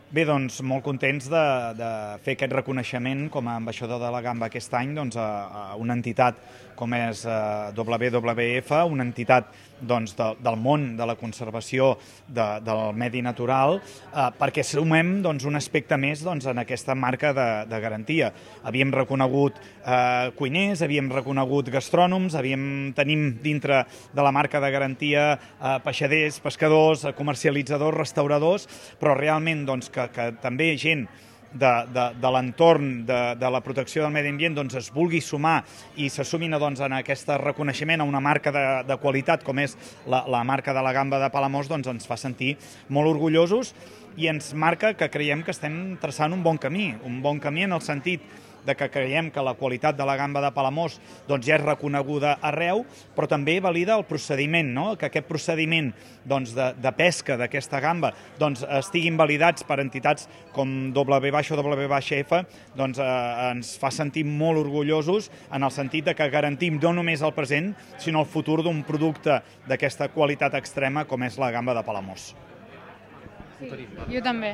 Bé, doncs molt contents de fer aquest reconeixement com a ambaixador de la gamba aquest any a una entitat com és WWF, una entitat del món de la conservació del medi natural, perquè sumem un aspecte més en aquesta marca de garantia. Havíem reconegut cuiners, havíem reconegut gastrònoms, tenim dintre de la marca de garantia peixaders, pescadors, comercialitzadors, restauradors, però realment que també gent de l'entorn de la protecció del medi ambient es vulgui sumar i se sumin en aquest reconeixement a una marca de qualitat com és la marca de la gamba de Palamós, ens fa sentir molt orgullosos i ens marca que creiem que estem traçant un bon camí en el sentit de que creiem que la qualitat de la gamba de Palamós ja és reconeguda arreu, però també valida el procediment, que aquest procediment de pesca d'aquesta gamba estiguin validats per entitats com WWF, ens fa sentir molt orgullosos en el sentit que garantim no només el present, sinó el futur d'un producte d'aquesta qualitat extrema com és la gamba de Palamós. Sí, jo també.